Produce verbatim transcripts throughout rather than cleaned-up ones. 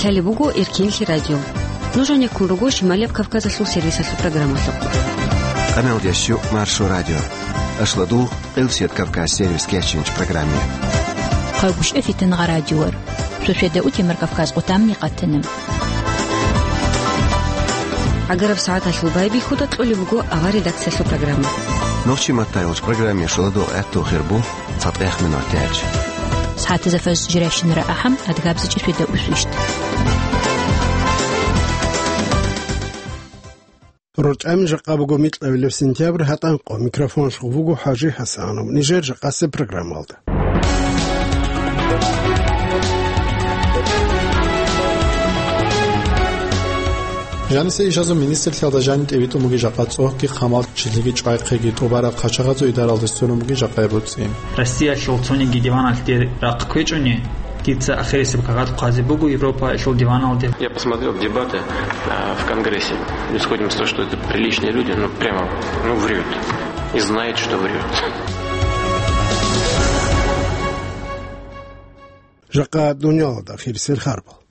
Лъалеб буго Эркинлъи радио. Нуж гьанеккун руго Шималияб Кавказалъул сервисалъул программалъухъ. Къаналдиясчу Маршо радио. Ашладул Къилсият Кавказ сервис кечинч программе. Хъагушев Фитнагъа радиор. Шошеда утемар Кавказ къутамни къатана. Агараб сагӀаталъул байбихьуда кьолеб буго авар редакциялъул программа. Нохчи маттайолч программе шуладул гӀатту хирбу. ЦатӀехъ минутач. СагӀатазда фажр жирайщинара ахӀам, адгабзичӀи шведа усвищ. РорчӀами жакъа буго микьабилеб сентябрь гьатӀанкъо. Микрофонлъухъ вуго ХӀажи ХӀасанов. Нижер жакъасеб программалда. Жанисе ишазул министрлъиялда жаниб тӀибитӀун бугеб жакъа цӀогьги, хъамал, чилъиги, чӀвайхъиги, тӀубараб хъачагъазул идаралде сверун бугеб жакъа буцӀи. Россиялъул цониги диваналде рахъ кквечӀони, дица ахирисеб кагъат хъвазе буго Европаялъул диваналде. Я посмотрел дебаты, а, в Конгрессе. Исходим из того, что это приличные люди, ну, прямо, ну, врёт. И знает, что врёт. Жакъа дуниялалда ахирисел харбал.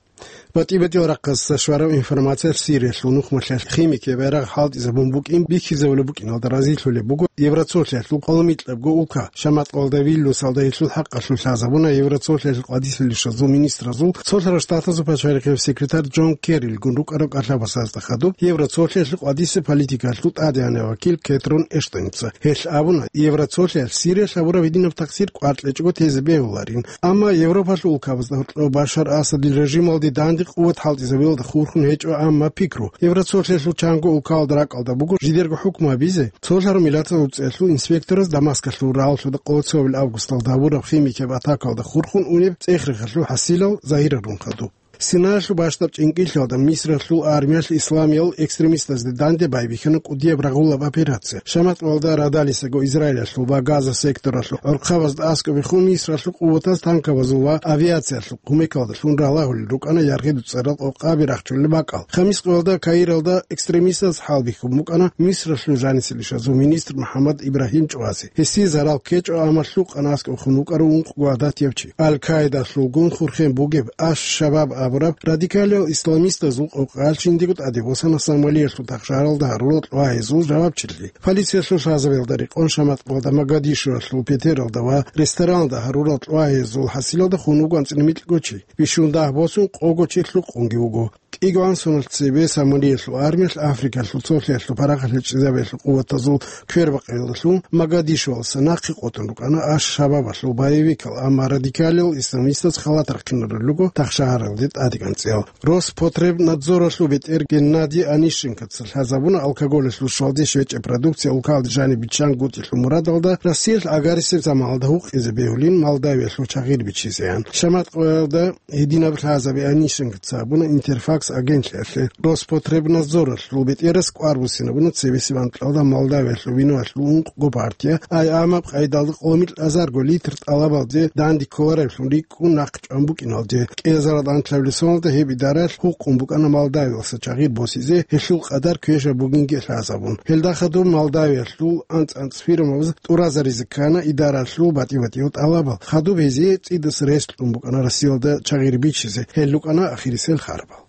БатӀи-батӀиял рахъалъ щвараб информациялъ Сириялъул нухмалъиялъ химикиял байрагъ хӀалтӀизабун букӀин бихьизабулеб букӀиналда разилъулеб буго Евроцолъиялъул къоло микьабго улка. Шамат къоялда Вильнюсалда гьелъул хӀакъалъулъ лъазабуна Евроцолъиялъул къвадисел ишазул министразул, Цолъарал Штатазул пачалихъияб секретарь Джон Керрилгун рукӀарал кӀалъабасазда хадуб Евроцолъиялъул къвадисеб политикалъул тӀадегӀанав вакил Кетрон Эштоница. Гьелъ абуна, Евроцолъиялъ Сириялъ гьабураб гьединаб такъсир кӀвар кьечӀого тезе бегьуларин. Амма Европалъул улкабазда гьоркьов Башар Асадил режималде данде къуват хӀалтӀизабиялда хурхун гьечӀо амма пикру. Евроцолъиялъул чанго улкаялда ракӀалда буго жидерго хӀукму гьабизе, цолъараб миллатазул цӀеялъул инспектораз Дамаскалъул рагӀаллъуда къоло цоябилеб августалда гьабураб химикияб атакаялда хурхун унеб цӀех-рехалъул хӀасилал загьирарун хадуб. Синаялъул бащдаб чӀинкӀиллъиялда Мисралъул армиялъ исламиял экстремистазде данде байбихьана кӀудияб рагъулаб операция. Шамат къоялда Радалисаго Израилалъул ва Газа секторалъул гӀорхъабазда аскӀобехун Мисралъул къуватаз танкабазул ва авиациялъул кумекалдалъун ралагьулел рукӀана яргъи дуцӀарал къокъаби рахчулел бакӀал. Хамис къоялда Каиралда экстремистаз хӀалбихьун букӀана Мисралъул жанисел ишазул министр МухӀаммад Ибрагьим ЧӀвази. Гьесие зарал ккечӀо, амма лъукъана аскӀобехун вукӀарав ункъго гӀадатияб чи. Аль-Каидалъулгун хурхен бугеб Аш-Шабаб абураб радикалиял исламистазул къокъаялъ жиндиего тӀаде босана Сомалиялъул тахшагьаралда гьарурал кьвагьазул жавабчилъи. Полициялъул лъазабиялда рекъон Шамат къоялда Могадишоялъул петералда ва ресторанлда гьарурал кьвагьазул хӀасилалда хун вуго анцӀила микьго чи. Бищун дагь босун къого чи лъукъунги вуго. КӀигоан соналъ цебе Сомалиялъул армиялъ Африкалъул цолъиялъул парахат гьечӀезабиялъул къуватазул квербакъиялдалъун Могадишоялдаса нахъе къотӀун рукӀана Аш-Шабабалъул боевикал, амма радикалиял исламистаз халат рахъинарулел руго тахшагьаралде тӀадегӀанцӀиял. Роспотребнадзоралъул бетӀер Геннадий Онищенкоца лъазабуна алкоголалъул щвалде щвечӀеб продукция улкалде жаниб биччан гутӀилъул мурадалда Россиялъ гӀагарисеб заманалда гьукъизе бегьулин Молдавиялъул чагъир бичизеян. Шамат къоялда гьединаб лъазаби Онищенкоца гьабуна Интерфакс агентлъиялъе. Роспотребнадзоралъул бетӀерас кӀвар буссинабуна цебесеб анкьалда Молдавиялъул виноялъул ункъго партия, ай, амаб къайдалда къоло микьазарго литр тӀалабалде данде кколареблъун рикӀкӀун нахъ чӀван букӀиналде. КӀиазарал анлъабилеб соналда гьеб идараялъ гьукъун букӀана Молдавиялдаса чагъир босизе, гьелъул къадар квешаб бугинги лъазабун. Гьелда хадуб Молдавиялъул анцӀ-анцӀ фирмабаз тӀуразаризе ккана идаралъул батӀи-батӀиял тӀалабал. Хадуб гьезие цӀидасан рес кьун букӀана Россиялда чагъир бичизе. Гьел рукӀана ахирисел харбал.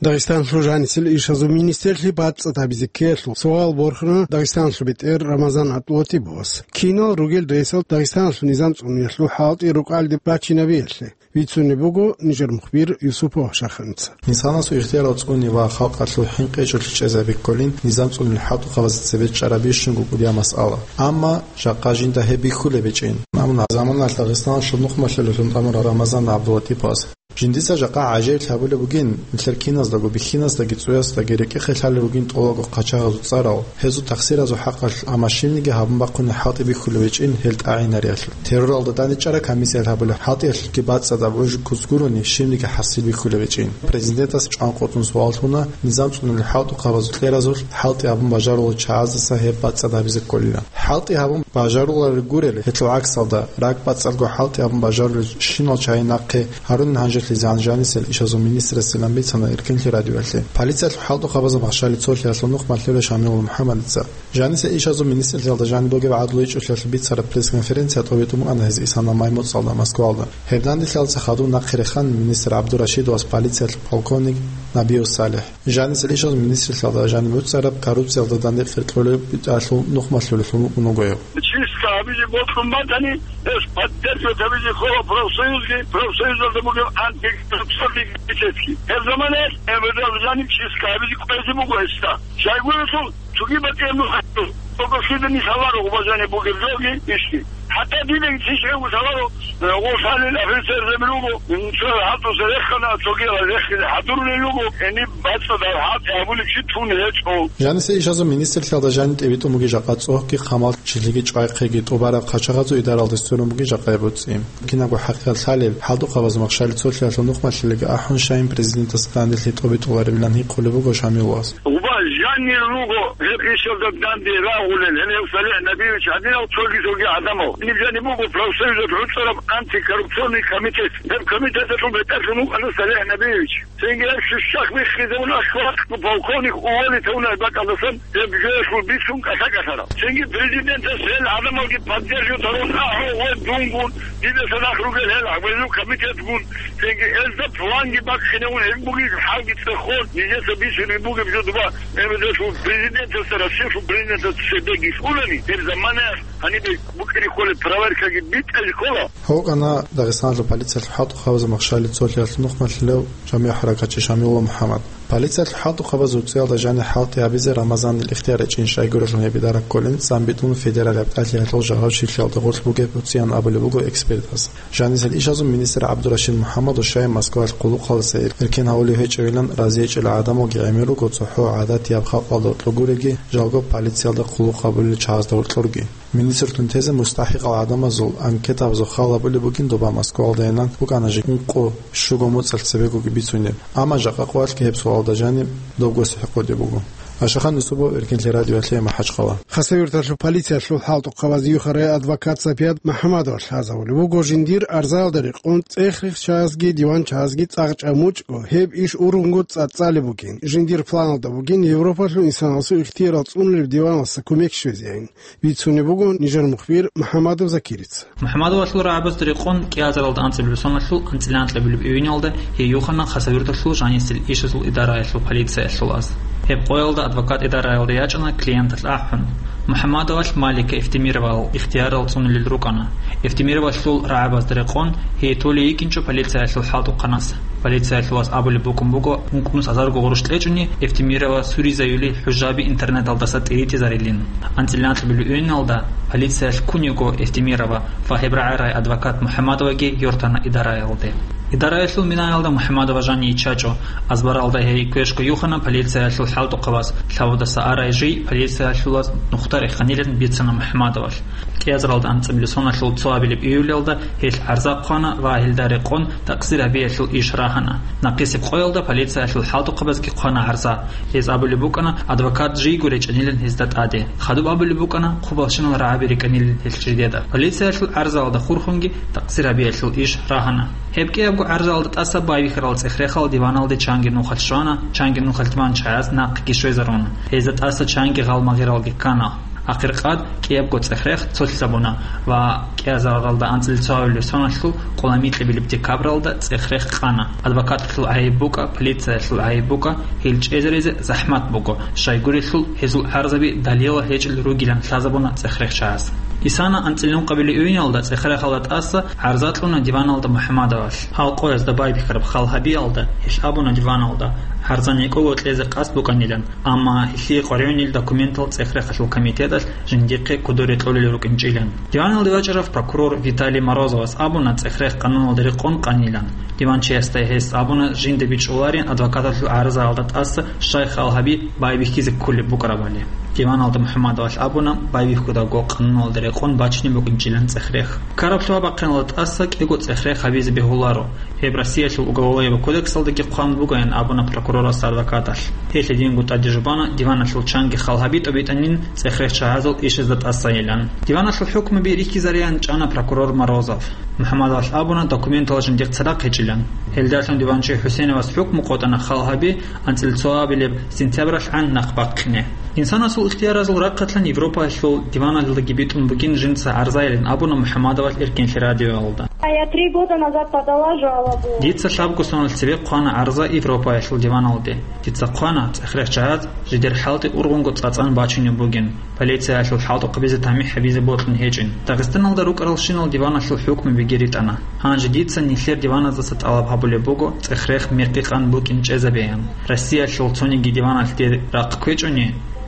Дагъистанлъул жанисел ишазул министрлъи бацӀцӀад гьабизе ккеялъул суал борхана Дагъистанлъул бетӀер Рамазан ГӀабдулатиповас. Кинал ругел рейсал Дагъистаналъул низам цӀунулъул хӀалтӀи рукӀалде бачинабиялъе. Вицунеб буго нижер мухбир Юсупов Шаханица. Инсанасул ихтиярал цӀуни ва халкъалъул хӀинкъи-чӀуллъи чӀезаби кколин низам цӀунулел хӀалтӀухъабазда цебе чӀарабищунго кӀудияб масъала. Амма жакъа жинда гьеб бихьулеб гьечӀин. Амма заманалъ Дагъистаналъул нухмалъиялъулъ тӀамурав Рамазан ГӀабдулатиповас. Жиндица жакъа гӀажаиблъи гьабулеб бугин, нилъер киназдаго, бихьиназдаги, цӀуясдаги рекӀехъе лъалел ругин тӀолабго хъачагъазул цӀарал, гьезул тахсиразул хӀакъалъулъ, амма щибниги гьабун бахъунеб хӀалтӀи бихьулеб гьечӀин гьел тӀагӀинаралъулъ. Терроралда тӀадчӀараб комиссиялъ гьабулеб хӀалтӀиялъулъги бацӀцӀадаб гӀужу куц гурони, щибниги хӀасил бихьулеб гьечӀин. Президентас чӀван къотӀун суал лъуна, низам цӀунулел хӀалтӀухъабазул кьеразулъ хӀалтӀи гьабун бажарулел чагӀаздаса гьеб бацӀцӀад гьабизе кколилан. ХӀалтӀи гьабун Бажаруларел гурел, гьелъул гӀаксалда, ракӀбацӀцӀадго хӀалтӀи абун бажарулел щинал чагӀи нахъе гьарунин гьанжелъизегӀан жанисел ишазул министрасилан бицана Эркенлъи радиоялъе. Полициялъул хӀалтӀухъабазул махщали цолъиялъул нухмалъулев Шамилул МухӀаммадица. Жанисел ишазул министрлъиялда жаниб бугеб гӀадлу ичӀулъиялъул бицараб пресс-конференция тӀобитӀун букӀана гьез исана май моцӀалда Москвалда. Гьеб дандилъиялдаса хадуб нахъе рехана министр ГӀабдурашидовас полициялъул полковник Набиев СалихӀ. Жанисел ишазул министрлъиялда жаниб буцараб коррупциялда данде къеркьулеб битӀалъул нухмалъулелъун вукӀун вуго гьев. Чистка гьабизе бокьун батани, гьес поддерживать гьабизе ккола профсоюзги, профсоюзалда бугеб антикоррупционный комитетги. Гьеб заманаялъ гьеб жаниб чистка гьабизе кӀвезе буго гьесда. Щайгурелъул цоги батӀияб нухалъул, цого лъида нилъ гьаваро гъубазани бугеб жоги ишги. ХӀатта дидаги цинщ гьев лъаларо, э, гъолъалил офицерзаби руго, м, цо хӀалтӀуса рехана, цогиял рехизе хӀадурулел руго, гьениб бацӀцӀадаб хӀалтӀи гьабулеб чи тун гьечӀо. Жанисе ишазул министрлъиялда жаниб тӀибитӀун бугеб жакъа цӀогьги хъамал чилъиги чӀвайхъиги тӀубараб хъачагъазул идаралде сверун бугеб жакъа гьеб буцӀцӀи. Кинабго хӀакъикъат лъалеб, хӀалтӀухъабазул махщали цолъиялъул нухмалъулелги ахӀун, щайин президентас данделъи тӀобитӀуларевилан гьикъулеб буго Шамилас. Гъуба жанир руго гьеб ишалда данде рагъулел, гьеле гьев СалихӀ Набиевич гьадинал цоги-цоги гӀадамал. Ниб жаниб буго профсоюзалъ гӀуцӀараб антикоррупционный комитет. Гьеб комитеталъул бетӀерлъун вукӀана СалихӀ Набиевич. Цинги гьеб щущахъ биххизабун ахӀвахъ полковник уволить гьавунеб бакӀалдасан гьеб жоялъул бицун кӀалъа-кӀалъараб. Цинги президентас гьел гӀадамалги поддерживать гьарун ахӀун ва дунгун, дидаса нах ругел гьел гьабилеб комитетгун, цинги гьезда планги бахъинавун гьеб бугеб хӀалги цӀехон, нижеца бицунеб бугеб жо доба, гьеб жо президентасда, Россиялъул президентасда цебеги лъулани, гьеб заманаялъ гьанибе букӀине кколеб проверкаги битӀизе ккола. Гьукъана Дагъистаналъул полициялъул хӀалтӀухъабазул махщали цолъиялъул нухмалъулев жамигӀ хӀаракатчи Шамилулла МухӀаммад. Полициялъул хӀалтӀухъабазул цӀиялда жанир хӀалтӀи гьабизе Рамазанил ихтияр гьечӀин щайгурелъун гьеб идараб кколин цӀан битӀун федералияб тӀалъиялъул жагьурщилъиялда гъорлъ бугеб буцӀцӀиян абулеб буго экспертас. Жанисел ишазул министр ГӀабдурашид МухӀаммадов щай Москваялъ хъулухъалдаса эр-, эркен гьавулев гьечӀевилан разиечӀел гӀадамалги гӀемер руго цохӀо гӀадатияб халкъалда гьоркьор гуреги, жалго полициялда хъулухъ гьабулел чагӀазда гьоркьорги. Министрлъун тезе мустахӀикъал гӀадамазул анкетабазул хал гьабулеб бугин доба Москвалдайилан букӀана жи ункъо-щуго моцӀалъ цебегоги бицунеб. Амма жакъа къоялъги гьеб суалда жаниб добго сихӀ къотӀи буго. Ашахан Юсупов, Эркенлъи радиоялъе, МахӀачхъала. Хасавюрталъул полициялъул хӀалтӀухъабаз юхарай адвокат Сапият МухӀаммадовалъ лъазабулеб буго жиндир арзаялда рекъон цӀех-рех чагӀазги диван чагӀазги цӀакъ чӀамучӀго, гьеб иш ургъунго цӀацӀалеб бугин, жиндир планалда бугин Европалъул инсаналъул ихтиярал цӀунулеб диваналъа кумек щвезейин. Бицунеб буго нижер мухбир МухӀаммадов Закирица. МухӀаммадовалъул рагӀабазда рекъон кӀиазаралда анцӀабилеб соналъул анцӀила анкьабилеб июнялда гьей юхана Хасавюрталъул жанисел ишазул идараялъул полициялъул аз. Гьеб къоялда адвокат идараялде ячӀана клиенталъ ахӀун. МухӀаммадовалъ Малика Эфтемировал ихтиярал цӀунулел рукӀана. Эфтемировалъул рагӀабазда рекъон гьей толей йикӀинчӀо полициялъул хӀалтӀухъанас. Полициялъул вас абулеб букӀун буго, ункънус азарго гъурущ кьечӀони, Эфтемирова суризаюлей хӀужаби интернеталдаса тӀиритӀизарилин. АнцӀила анкьабилеб июнялда полициялъ ккун йиго Эфтемирова ва гьеб рагӀарай адвокат МухӀаммадоваги йортана идараялде. Идараялъул минаялда МухӀаммадова жанив йиччачӀо. Азбаралда гьей квешго юхана полициялъул хӀалтӀухъабаз, лъабудаса арай жий полициялъул вас нухда реханилан бицана МухӀаммадовалъ. КӀиазаралда анцӀабилеб соналъул цоабилеб июлялда гьелъ гӀарза хъвана ва гьелда рекъон такъсир гьабиялъул иш рагьана. Нахъисеб къоялда полициялъул хӀалтӀухъабазги хъвана гӀарза. Гьез абулеб букӀана, адвокат жийго речӀанилан гьезда тӀаде. Хадуб абулеб букӀана, хъубалщинал рагӀаби рекӀанилан гьелъ жидеда. Полициялъул гӀарзаялда хурхунги такъсир гьабиялъул иш рагьана. Гьеб кӀиябго гӀарзаялда тӀаса байбихьарал цӀех-рехал диваналде чанги нухалъ щвана, чанги нухалъ диван чагӀаз нахъеги щвезаруна. Гьезда тӀаса чанги гъал-магъиралги ккана. Ахиркъад кӀиябго цӀех-рех цолъизабуна ва кӀиазаралда анцӀила цоабилеб соналъул къоло микьабилеб декабралда цӀех-рех къана. Адвокаталъул гӀайиб букӀа, полициялъул гӀайиб букӀа, гьел чӀезаризе захӀмат буго, щайгурелъул гьезул гӀарзаби далилал гьечӀел ругилан лъазабуна цӀех-рех чагӀаз. Исана анцӀила ункъабилеб июнялда цӀех-рехалда тӀаса гӀарза кьуна диваналда МухӀаммадовалъ. Гьал къоязда байбихьараб хал гьабиялда гьелъ абуна диваналда, гӀарза некӀого кьезе къасд букӀанилан, амма гьелъие къваригӀунел документал цӀех-рехалъул комитеталъ жиндихъе кодоре кьолел рукӀинчӀилан. Диваналде вачӀарав прокурор Виталий Морозовас абуна цӀех-рех къануналда рекъон къанилан. Диванчиясда гьес абуна жинда бичӀчӀуларин адвокаталъул гӀарзаялда тӀаса щай хал гьаби байбихьизе кколеб букӀарабали. Диваналда МухӀаммадовалъ абуна байбихьудаго къануналда рекъон бачине букӀинчӀилан цӀех-рех. Ккараб лъугьа-бахъиналда тӀаса кӀиго цӀех-рех гьабизе бегьуларо. Гьеб Россиялъул уголовайго кодексалдаги хъван бугоян абуна прокурор Росадвокаталъ. Гьелъ гьединго тӀаде жубана диваналъул чанги хал гьаби тӀобитӀанин цӀех-рех чагӀазул ишазда тӀасайилан. Диваналъул хӀукмуби рихьизареян чӀана прокурор Морозов. МухӀаммадовалъ абуна документалда жиндихъ цадахъ гьечӀилан. Гьелдалъун диванчи ХӀусейновас хӀукму къотӀана хал гьаби анцӀила цоабилеб сентябралъгӀан нахъ бахъине. Инсанасул ихтияразул рахъалъан Европаялъул диваналдаги битӀун бугин жинца гӀарзайилан абуна МухӀаммадовалъ Эркенлъи радиоялда. А я три года назад подала жалобу. Дица лъабго соналъ цебе хъвана гӀарза Европаялъул диваналде. Дица хъвана, цӀех-рех чагӀаз жидер хӀалтӀи ургъунго цӀацӀан бачунеб бугин, полициялъул хӀалтӀухъабизе тамихӀ гьабизе бокьун гьечӀин. Дагъистаналда рукӀаралщинал диваналъул хӀукмубиги ритӀана. Гьанже дица нилъер диваназдаса тӀалаб гьабулеб буго цӀех-рех мекъи-къан букӀин чӀезабеян. Россиялъул цониги диваналъ дир рахъ кквечӀони,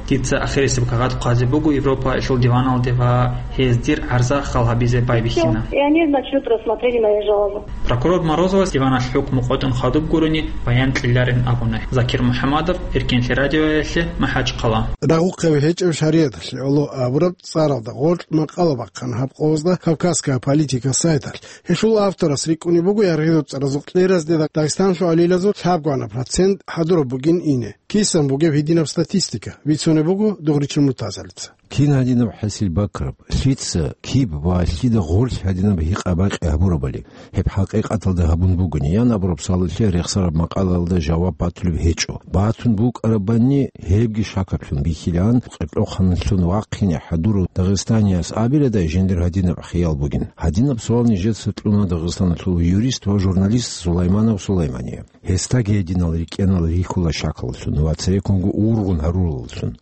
дица ахирисеб кагъат хъвазе буго Европаялъул диваналде ва гьез дир гӀарза хал гьабизе байбихьина. Всё, и они, значит, рассмотрели мою жалобу. Прокурор Морозовас диваналъ хӀукму къотӀун хадуб гурони баян кьеларин абуна. Закир МухӀаммадов, Эркенлъи радиоялъе, МахӀачхъала. Рагъухъаби гьечӀеб шаригӀаталъе гӀоло абураб цӀаралда гъоркь макъала бахъана гьаб къоязда «Кавказская политика» сайталъ. Гьелъул авторас рикӀкӀунеб буго яргъизаб цӀаразул кьеразде Дагъистаналъул гӀалилазул лъабгоана процент хӀадураб бугин ине. Кисан бугеб гьединаб статистика, бицунеб буго Дугъричил Муртазалица. Кин гьадинаб хӀасил бакраб, лъица, киб ва лъида гъорлъ гьадинаб гьикъа-бакъи гьабурабали, гьеб хӀакъикъаталда гьабун бугони, ян абураб суалалъе рехсараб макъалаялда жаваб батулеб гьечӀо. Батун букӀарабани, гьебги шакаблъун бихьилаан, къеркьохъаналъун вахъине хӀадурав дагъистанияс абиладай жиндир гьадинаб хиял бугин. Гьадинаб суал нижеца кьуна Дагъистаналъул юрист ва журналист Сулайманов Сулаймание. Гьесдаги гьединал рикӀкӀенал рихьула шакаллъун ва цереккунго ургъун гьарураллъун.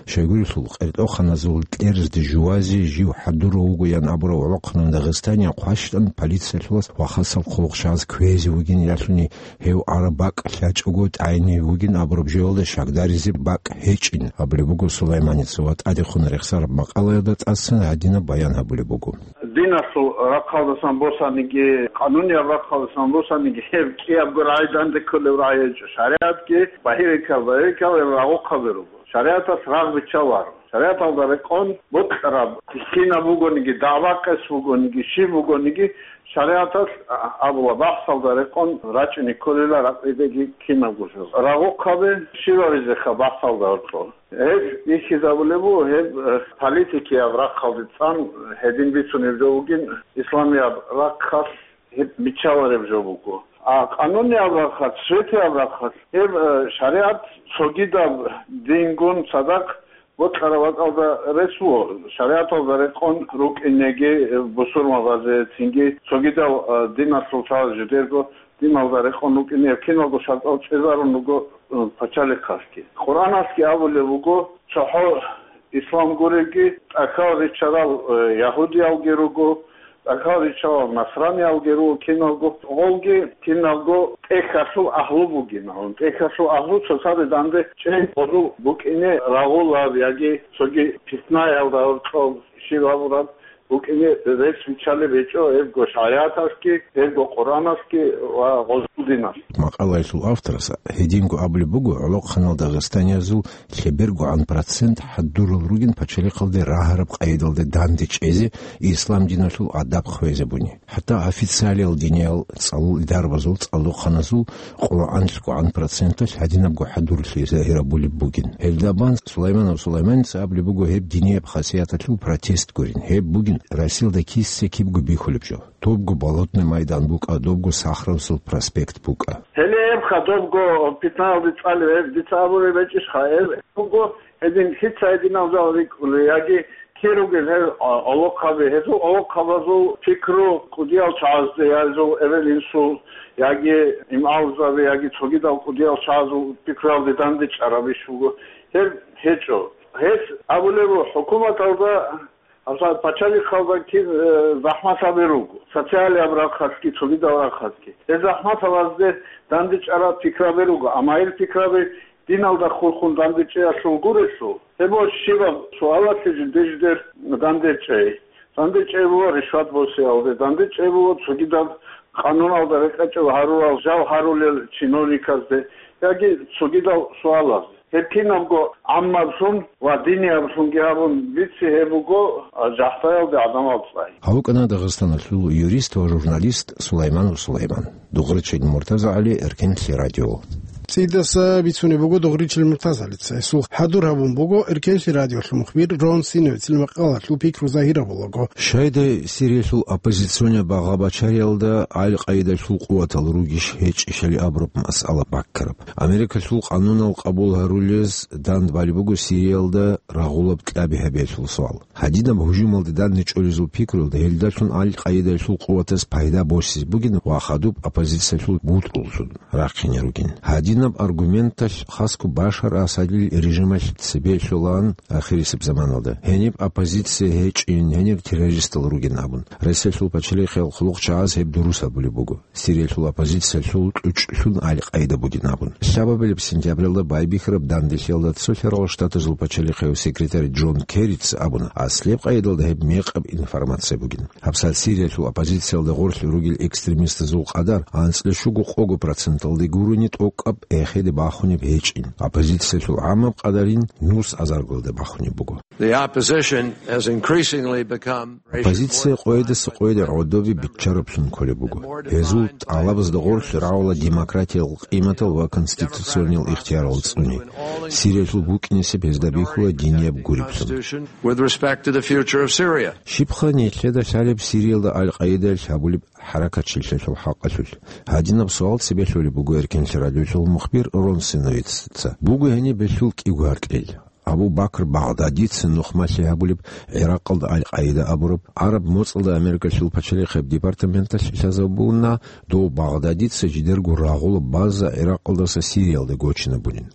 Щайгурелъул, къеркьохъаназул кьерзде жувазе жив хӀадурав вугоян абурав гӀолохъанав дагъистанияв хъващтӀан полициялъулас вахасаб хъулухъ щваз кквезе вугин ялъуни, гьев араб бакӀ лъачӀого тӀагӀинив вугин абураб жоялда щакдаризе бакӀ гьечӀин абулеб буго Сулайманица ва тӀадехун рехсараб макъалаялда тӀасан гьадинаб баян гьабулеб буго. Диналъул рахъалдасан босаниги, къанунияб рахъалдасан босаниги, гьеб кӀиябго рагӀи данде кколеб рагӀи гьечӀо. ШаригӀатги багьирикал-багьирикал гьеб рагъухъаби руго. ШаригӀаталъ рагъ биччаларо. ШаригӀаталда рекъон бокьараб кинаб бугониги, дагӀба-къес бугониги, щиб бугониги, шаригӀаталъ а-, абула, бахӀсалда рекъон рачӀине кколила ракъидаги кинабго жо. Рагъухъаби щиб гьабизеха бахӀсалда гьоркьор? Гьеб бихьизабулеб буго, гьеб, э, политикияб рахъалде цӀан гьедин бицунеб жо бугин, исламияб рахъалъ гьеб биччалареб жо буго. А къанунияб рахъалъ, светияб рахъалъ гьеб, э, шаригӀат цогидаб дингун цадахъ бокьараб бакӀалда рес буго, шаригӀаталда рекъон рукӀинеги, э, бусурмабазе, цинги цогидал, э, диналъул цал жидерго диналда рекъон рукӀине гьеб киналго шартӀал чӀезарун руго, э, пачалихъалъги. Къуръаналъги абулеб буго, цохӀо ислам гуребги, тӀахьал ричарал, э, ягьудиялги руго, тӀахьал ричарал насраниялги руго киналго, гъолги киналго тӀехьалъул агьлу бугин. ТӀехьалъул агьлу цоцазе данде чӀей гъозул букӀине рагъулаб яги цоги питнаялда гьоркьоб щиб гьабураб букӀине рес виччалеб гьечӀо гьебго шаригӀаталъги, гьебго Къуръаналъги ва гъозул диналъ. Макъалаялъул авторас гьединго абулеб буго, гӀолохъанал дагъистаниязул лъебергогӀан процент хӀадурал ругин пачалихъалде рагьараб къайдалде данде чӀезе, ислам диналъул адаб хвезабуни. ХӀатта официалиял диниял цӀалул идарабазул, цӀалдохъаназул къоло анлъгогӀан проценталъ гьадинабго хӀадурлъи загьирабулеб бугин. Гьелда бан Сулайманов Сулайманица абулеб буго, гьеб динияб хасияталъул протест гурин. Гьеб бугин Россиялда киса-кибго бихьулеб жо. Добго Болотный майдан букӀа, добго Сахаровасул проспект букӀа. Гьеле гьебха добго питнаялде цӀалев гьеб, дица абулеб гьечӀищха, гьеб буго гьедин лъица гьединал жал рикӀкӀули, яги кир ругел гьел, а, гӀолохъаби, гьезул гӀолохъабазул пикру кӀудиял чагӀазде, гьезул эбел-инсул, яги имамзаби, яги цогидал кӀудиял чагӀазул пикруялде дандечӀараб иш буго. Гьеб гьечӀо. Гьес абулеб буго, хӀукуматалда, гьабсагӀат пачалихъалда кин, э, захӀматаби руго, социалияб рахъалъги, цогидал рахъалъги. Гьез захӀматабазде дандечӀараб пикраби руго, амма гьел пикраби диналда хурхун дандечӀеялъул гурелъул, гьеб щибаб суалалъе жиде-жидер дандечӀей. ДандечӀей буго ришват босиялде, дандечӀей буго цогидаб къануналда рекъечӀев гьарурал жал гьарулел чиновниказде яги цогидал суалазде. Гьеб кинабго гӀаммаблъун ва динияблъунги гьабун бици, гьеб буго, а, жагьлъаялде гӀадамал цӀай. Гьав вукӀана Дагъистаналъул юрист ва журналист Сулайманов Сулайман. Дугърачил Муртазагьали, Эркенлъи радио. ЦӀидаса бицунеб буго Дугъричил Муртазалица. Гьесул хӀадур гьабун буго Эркенлъи радиолъул мухбир Рон Синовицил макъалалъул пикру загьир гьабулаго. Щайдай Сириялъул оппозиционер багъа-бачариялда Аль-Къаидалъул къуватал ругищ гьечӀищали абураб масъала баккараб. Америкалъул къанунал къабул гьарулез дандбали буго Сириялда рагъулаб кьаби гьабиялъул суал. Гьадинаб гьужумалде данде чӀолезул пикруялда гьелдалъун Аль-Къаидалъул къуватаз пайда босизе бугин ва хадуб оппозициялъул бутӀруллъун рахъине ругин. Гьадинаб аргументалъ хасго Башар Асадил режималъ цебе лъолаан ахирисеб заманалда, гьениб оппозиция гьечӀин, гьенир террористал ругин абун, Россиялъул пачалихъиял хъулухъчагӀаз гьеб дурус абулеб буго. Сириялъул оппозициялъул кьучӀлъун Аль-Къаида бугин абун. Лъабабилеб сентябралда байбихьараб данделъиялда Цолъарал Штатазул пачалихъияв секретарь Джон Керрица абуна, аслияб къайдалда гьеб мекъаб информация бугин. ГьабсагӀат Сириялъул оппозициялда гъорлъ ругел экстремистазул къадар анцӀила щуго-къого проценталде гурони тӀокӀаб эхеде бахунеб гьечӀин. Оппозициялъул гӀамаб къадарин нус азаргалде бахунеб буго. The opposition has increasingly become Оппозиция къоядаса къояде гӀодобе биччараблъун кколеб буго. Гьезул тӀалабазда гъорлъ рагӀула демократиял къиматал ва конституциониял ихтиярал цӀуни. Сириялъул букӀинесеб гьезда бихьула динияб гуриблъун. With respect to the future of Syria. Щибха нилъеда лъалеб Сириялда Аль-Къаидаялъ гьабулеб хӀаракатчилъиялъул хӀакъалъулъ? Гьадинаб суал цебе лъолеб буго Эркенлъи радиолъул мухбир Рон Синовицца. Буго гьениб гьелъул кӀиго гьаркьел. Абу Бакр Багъдадица нухмалъи гьабулеб, ГӀиракъалда Аль-Къаида абураб, гӀараб моцӀалда Америкалъул пачалихъияб департаменталъ лъазабуна, дов Багъдадица жидерго рагъулаб база ГӀиракъалдаса Сириялде гочинабунин.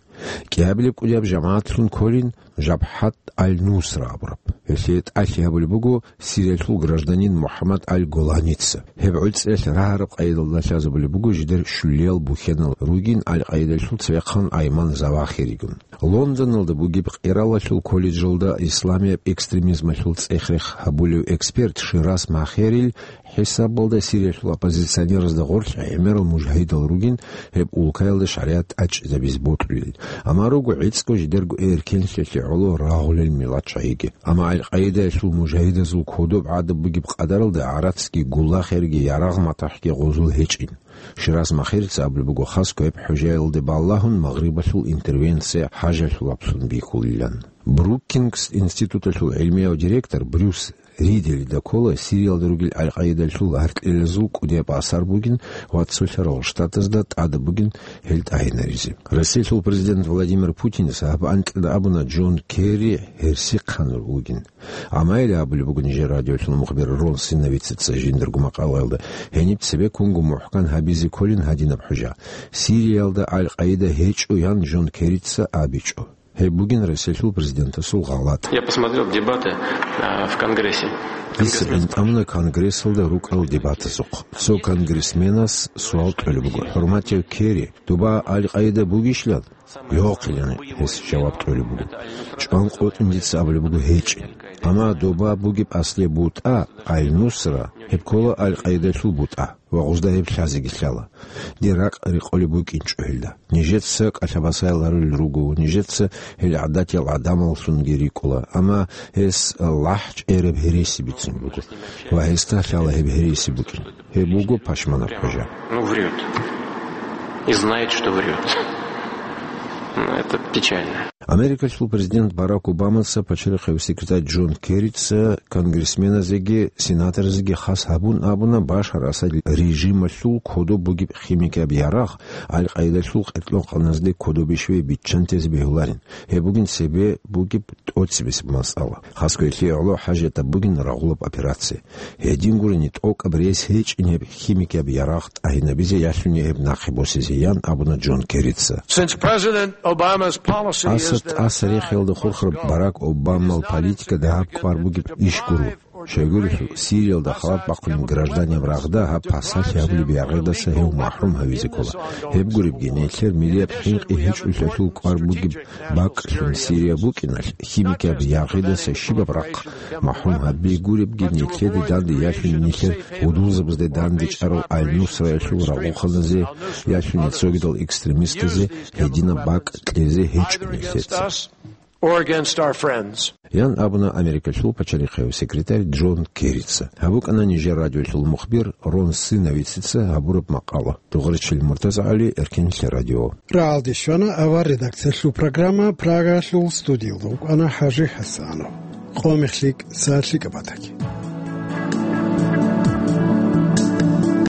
КӀиабилеб кӀудияб жамагӀатлъун кколин Жабхат Аль-Нусра абураб. Гьелъие тӀалъи гьабулеб буго Сириялъул гражданин МухӀаммад Аль-Голаница. Гьеб гӀуцӀиялъ рагьараб къайдалда лъазабулеб буго жидер щулиял бухьанал ругин Аль-Къаидалъул цевехъан Айман Завахиригун. Лондоналда бугеб Къиралалъул колледжалда исламияб экстремизмалъул цӀех-рех гьабулев эксперт Шираз Махерил хӀисабалда Сириялъул оппозиционеразда гъорлъ гӀемерал мужагьидал ругин гьеб улкаялда шаригӀат тӀачӀизабизе бокьулел. Амма руго гӀицӀго жидерго эркенлъиялъе гӀоло рагъулел миллат чагӀиги. Амма Аль-Къаидаялъул мужагьидазул кодоб гӀадаб бугеб къадаралда гӀарацги, гулахерги, ярагъ-матахӀги гъозул гьечӀин. Шираз Махерица абулеб буго, хасго гьеб хӀужаялде балагьун магърибалъул интервенция хӀажалъулаблъун бихьулилан. Брукингс институталъул гӀилмияв директор Брюс Ридели ккола Сириялда ругел Аль-Къаидалъул гьаркьелазул кӀудияб асар бугин ва Цолъарал Штатазда тӀадаб бугин гьел тӀагьинаризе. Россиялъул президент Владимир Путинас гьаб анкьида абуна Джон Керри гьерсихъан вугин. Амма гьеле абулеб буго нижер радиолъул мухбир Рон Синовицаца жиндирго макъалаялда, гьениб цебеккунго мухӀкан гьабизе кколин гьадинаб хӀужа. Сириялда Аль-Къаида гьечӀо ян Джон Керрица абичӀо. Гьеб бугин Россиялъул президентасул гъалатӀ. Я посмотрел дебаты, а, в Конгрессе. Дица гӀинтӀамуна Конгрессалда рукӀарал дебатазухъ. Цо конгрессменас суал кьолеб буго: «ХӀурматияв Керри, доба Аль-Къаида бугищилан?» «Йохъилан», — гьес жаваб кьолеб буго. «ЧӀван къотӀин дица абулеб буго гьечӀин. Амма доба бугеб аслияб бутӀа, Аль-Нусра, гьеб ккола Аль-Къаидалъул бутӀа, ва гъузда гьеб лъазеги лъала. Дир ракӀ рекъолеб букӀинчӀо гьелда. Нижеца кӀалъабасаял гьарулел руго, нижеца гьел гӀадатиял гӀадамаллъунги рикӀкӀула, амма гьес лахӀ чӀераб гьереси бицун буго, ва гьесда лъала гьеб гьереси букӀин. Гьеб буго пашманаб хӀужа». Ну, врёт. И знает, что врёт. Ну, это печально. Америкалъул президент Барак Обамаца пачалихъав секретарь Джон Керрица конгрессменазеги сенаторазеги хас гьабун абуна Башар Асад режималъул кодоб бугеб химикияб ярагъ Аль-Къаидалъул къеркьлъухъаназде кодобищ ве биччантезе бегьуларин. Гьеб бугин цебе бугеб тӀоцебесеб масъала. Хасго гьелъие гӀоло хӀажатаб бугин рагъулаб операция. Гьедин гурени, тӀокӀаб рес гьечӀин гьеб химикияб ярагъ тӀагьинабизе ялъуни гьеб нахъе босизе, ян абуна Джон Керрица. Since President Obama's policy is Асад to тӀаса рехиялда хурхараб Барак Обамал политика дагьаб кӀвар бугеб иш гуро. Щайгурелъул, Сириялда халат бахъунеб гражданин рагъда гьаб пасалъи гьабулеб яргъидаса гьев махӀрум гьавизе ккола. Гьеб гуребги, нилъер миллияб хӀинкъи гьечӀолъиялъул кӀвар бугеб бакӀлъун Сирия букӀиналъ, химикияб яргъидаса щибаб рахъ махӀрум гьаби гуребги, нилъеде данде ялъуни нилъер гьудулзабазде данде чӀарал Аль-Нусраялъул рагъухъаназе, ялъуни цогидал экстремистазе гьединаб бакӀ кьезе гьечӀо нилъеца. or against our friends. Ян абуна Америкалъул пачалихъев секретарь Джон Керрица. Гьаб букӀана нижер радиолъул мухбир Рон Сыновицаца гьабураб макъала. Дугъричил МуртазагӀали, Эркенлъи радио. Рагьалде щвана авар редакциялъул программа, Прагалъул студиялда вукӀана ХӀажи ХӀасанов. Къо мехлъи, са лъикӀаб батаги.